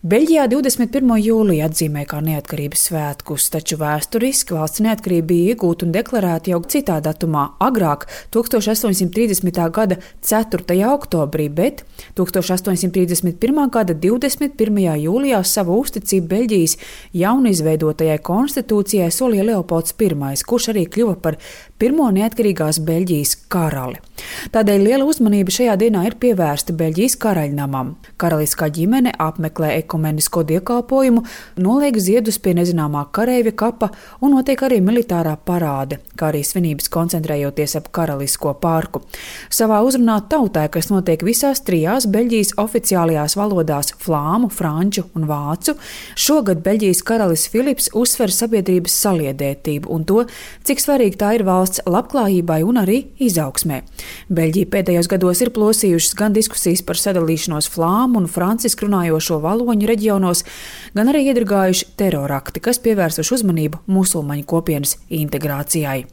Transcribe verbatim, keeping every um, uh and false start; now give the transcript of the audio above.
Beļģijā divdesmit pirmo jūliju atzīmē kā neatkarības svētkus, taču vēsturiski valsts neatkarība bija iegūta un deklarēta jau citā datumā, agrāk, tūkstoš astoņsimt trīsdesmitā gada ceturtajā oktobrī, bet tūkstoš astoņsimt trīsdesmit pirmā gada divdesmit pirmajā jūlijā savu uzticību Beļģijas jaunizveidotajai konstitūcijai solīja Leopolds Pirmais, kurš arī kļuva par pirmo neatkarīgās Beļģijas karali. Tādēļ liela uzmanība šajā dienā ir pievērsta Beļģijas karaļnamam. Karaliskā ģimene apmeklē ekumenisko dievkalpojumu, noliek ziedus pie nezināmā kareivja kapa un notiek arī militārā parāde, kā arī svinības koncentrējoties ap karalisko parku. Savā uzrunā tautai, kas notiek visās trijās Beļģijas oficiālajās valodās – flāmu, franču un vācu, šogad Beļģijas karalis Filips uzsver sabiedrības saliedētību un to, cik svarīgi tā ir valsts labklājībai un arī izaugsmē. Beļģija pēdējos gados ir plosījušas gan diskusijas par sadalīšanos flāmu un francisku runājošo valoņu reģionos, gan arī iedragājuši terorakti, kas pievērsuši uzmanību musulmaņu kopienas integrācijai.